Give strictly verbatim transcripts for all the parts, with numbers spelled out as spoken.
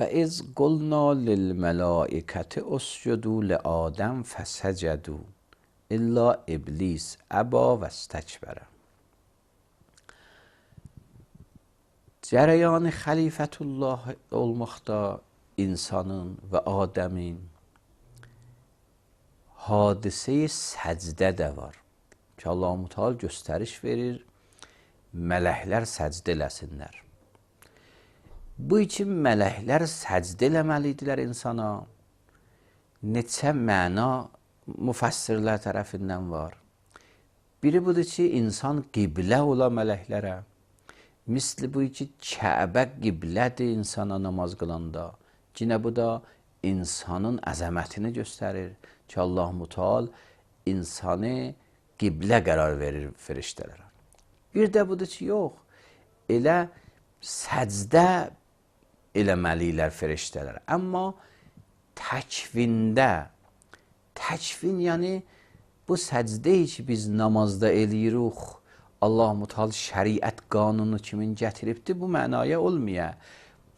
فَاِذْ قُلْنَا لِلْمَلَائِكَةِ اسْجُدُوا لِآدَمَ فَسَجَدُوا اِلَّا اِبْلِيسَ اَبَى وَاسْتَكْبَرَ. Cərəyanı xəlifətullah olmaqda insanın və Adəmin hadisə-i səcdə də var ki, Allah-u Teala göstəriş verir, mələklər səcdə eləsinlər. Bu üçün mələklər səcdə eləməlidirlər insana. Neçə məna müfəssirlər tərəfindən var. Biri budur ki, insan qiblə ola mələklərə. Misli bu ki, Kəbə qiblədir insana namaz qılanda. Yine bu da insanın əzəmətini göstərir ki, Allah-u Teala insanı qiblə qərar verir firiştələrə. Bir də budur ki, yox, elə səcdə eləməliylər firiştələrə. Amma təkvində, təkvin yəni bu səcdə ki, biz namazda eləyirik, Allah-u Teala şəriət qanunu kimin gətiribdir, bu mənaya olmaya.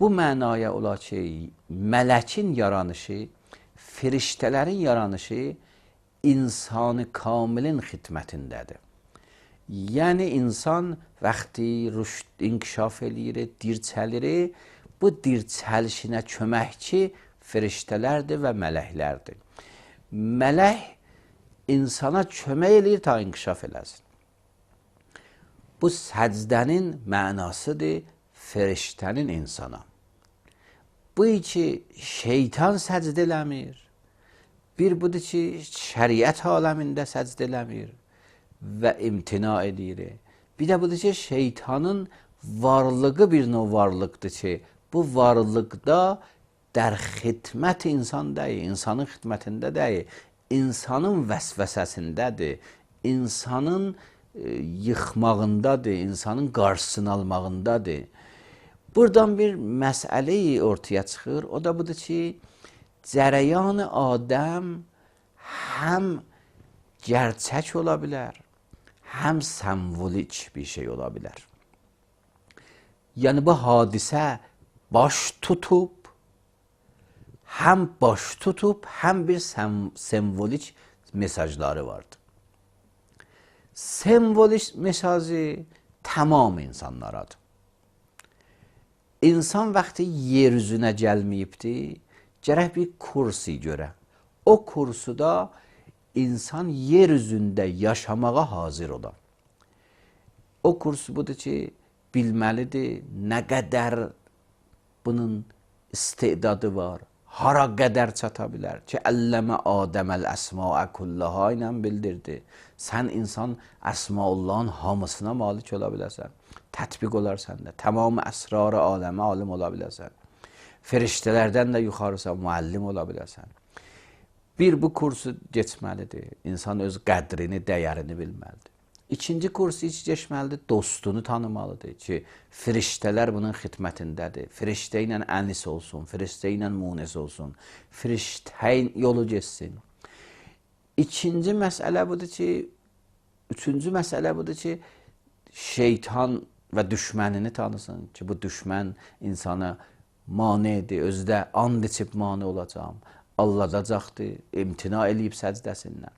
Bu mənaya ola ki, mələkin yaranışı, firiştələrin yaranışı insanı kamilin xidmətindədir. Yəni insan vaxtı rüşd inkişaf eləyir, dirçəlir, bu dirçəlişinə köməkçi firiştələrdir və mələklərdir. Mələk insana kömək eləyir ta inkişaf eləsin. Bu səcdənin mənasıdır firiştənin insana. Bu ki, şeytan səcdə eləmir. Bir budur ki, şəriət aləmində səcdə eləmir və imtina edir. Bir də budur ki, şeytanın varlığı bir növ varlıqdır ki, bu varlıqda dər xidmət insan deyil, insanın xidmətində deyil, insanın vəsvəsəsindədir, insanın e, yıxmağındadır, insanın qarşısını almağındadır. Buradan bir məsələ ortaya çıxır, o da budur ki, cərəyanı Adəm həm gerçək ola bilər, həm sembolik bir şey ola bilər. Yəni bu hadisə baş tutub, həm baş tutub, həm bir sem sembolik mesajları vardır. Sembolik mesajı tamam insanlaradır. İnsan vaxtı yer üzünə gəlməyibdir, gərək bir kursi görə. O kursuda insan yer üzündə yaşamağa hazır ola. O kursu budur ki, bilməlidir nə qədər bunun istedadı var, hara qədər çata bilər ki, əlləmə Adəməl əsmaə kullaha ilə bildirdi. Sən insan əsmaullahın hamısına malik ola bilərsən. Tətbiq olar səndə. Tamamı əsrarı aləmə alim ola bilərsən. Firiştələrdən də yuxarısa müəllim ola bilərsən. Bir, bu kursu geçməlidir. İnsan öz qədrini, dəyərini bilməlidir. İkinci kursu hiç geçməlidir, dostunu tanımalıdır ki, firiştələr bunun xidmətindədir. Firiştə ilə ənis olsun, firiştə ilə munis olsun, firiştə yolu geçsin. İkinci məsələ budur ki, üçüncü məsələ budur ki, şeytan və düşmənini tanısın ki, bu düşmən insana manidir, özdə and içib mani olacaq, alladacaqdır, imtina eləyib səcdəsindən.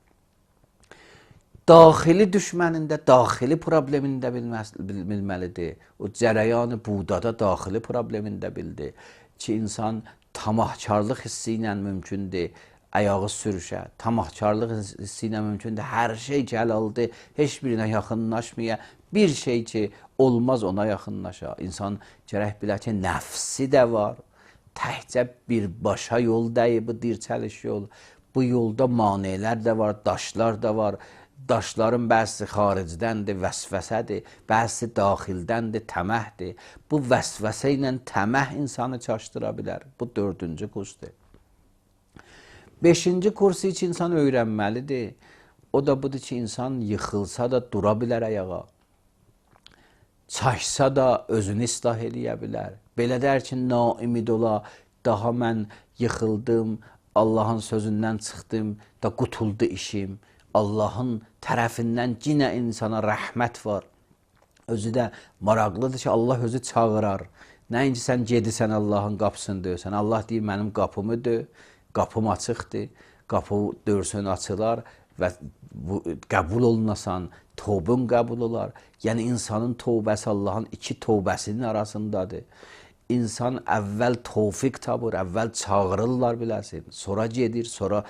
Daxili düşmənində, daxili problemində bilməlidir. O cərəyanı budada daxili problemində bildi ki, insan tamahkarlıq hissi ilə mümkündür, ayağı sürüşə, tamahkarlıq hissi ilə mümkündür, hər şey gəlaldır, heç birinə yaxınlaşmaya, bir şey ki, olmaz ona yaxınlaşa. İnsan gərək bilə ki, nəfsi də var, təhcə birbaşa yol deyil, bu dirçəliş yol. Bu yolda manelər də var, daşlar da var. Daşların bəzisi xaricdəndir, vəsvəsədir, bəzisi daxildəndir, təməhdir. Bu vəsvəsə ilə təməh insanı çaşdıra bilər. Bu dördüncü kursdur. Beşinci kursu için insan öyrənməlidir. O da budur ki, insan yıxılsa da dura bilər ayağa. Çaşsa da özünü islah eləyə bilər. Belə dər ki, naimid ola, daha mən yıxıldım, Allahın sözündən çıxdım, da qutuldu işim. Allahın tərəfindən yenə insana rəhmət var. Özü də maraqlıdır ki, Allah özü çağırar. Nəinki sən gedirsən Allahın qapısını döysən. Allah deyir, mənim qapımı döy, qapım açıqdır, qapı dörsün açılar və bu, qəbul olunasan, tövbün qəbul olar. Yəni, insanın tövbəsi Allahın iki tövbəsinin arasındadır. İnsan əvvəl tövfiq tapır, əvvəl çağırırlar biləsin, sonra gedir, sonra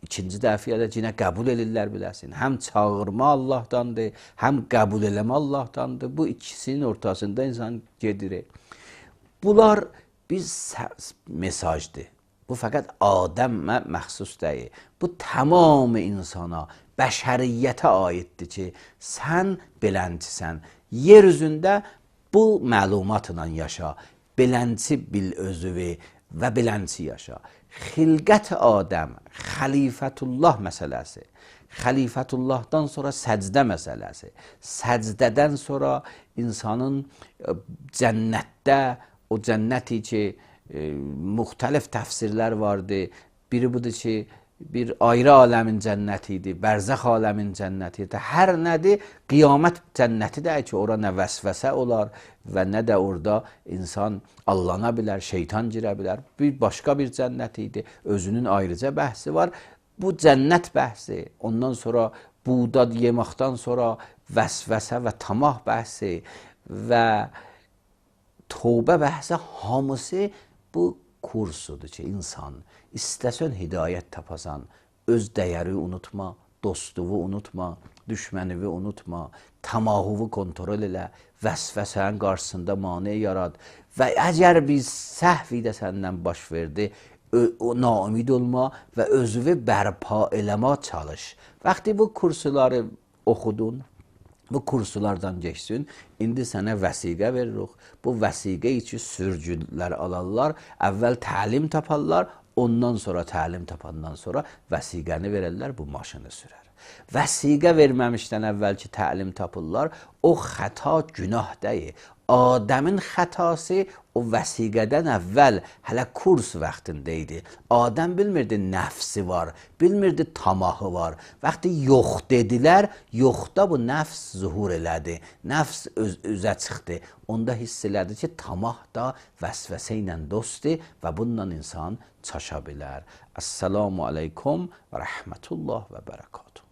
ikinci dəfiyyədə yenə qəbul edirlər biləsin. Həm çağırma Allahdandır, həm qəbul eləmə Allahdandır. Bu ikisinin ortasında insan gedir. Bunlar bir mesajdır. Bu fəqət Adəmə məxsus deyil. Bu tamam insana, bəşəriyyətə aiddir ki, sən beləncisən. Yer üzündə bu məlumatla yaşa. Beləncə bil özüvi və beləncə yaşa. Xilqət Adəm, xəlifətullah məsələsi. Xəlifətullahdan sonra səcdə məsələsi. Səcdədən sonra insanın cənnətdə, o cənnəti ki, e, müxtəlif təfsirlər vardı. Biri budur ki, bir ayrı aləmin cənnəti idi, bərzəx aləmin cənnəti idi. Hər nədir? Qiyamət cənnəti də ki, ora nə vəsvəsə olar və nə də orada insan allana bilər, şeytan girə bilər. Bir başqa bir cənnət idi, özünün ayrıca bəhsi var. Bu cənnət bəhsi, ondan sonra buğda yeməkdən sonra vəsvəsə və tamah bəhsi və tövbə bəhsi, hamısı bu kursudur ki, insan istəsən hidayət tapasan, öz dəyəri unutma, dostuvu unutma, düşmənivi unutma, tamahuvu kontrol elə, vəsvəsənin qarşısında mane yarad və əgər bir səhv də səndən baş verdi, o naumid olma və özünü bərpa eləmə çalış. Vaxtı bu kursuları oxudun, bu kursulardan geçsin, indi sənə vəsiqə veririk. Bu vəsiqə üçün sürücülər alarlar, əvvəl təlim taparlar, ondan sonra təlim tapandan sonra vəsiqəni verərlər, bu maşını sürər. Vəsiqə verməmişdən əvvəlki təlim tapırlar, o xəta günah deyil. Adəmin xətası o vəsiqədən əvvəl hələ kurs vaxtında idi. Adəm bilmirdi nəfsi var, bilmirdi tamahı var. Vaxtı yox dedilər, yoxda bu nəfs zuhur elədi. Nəfs öz üzə çıxdı. Onda hiss elədi ki, tamah da vəsvəsə ilə dostdur və bununla insan çaşa bilər. Əssalamu aleykum və rəhmətullah və bərəkatuhu.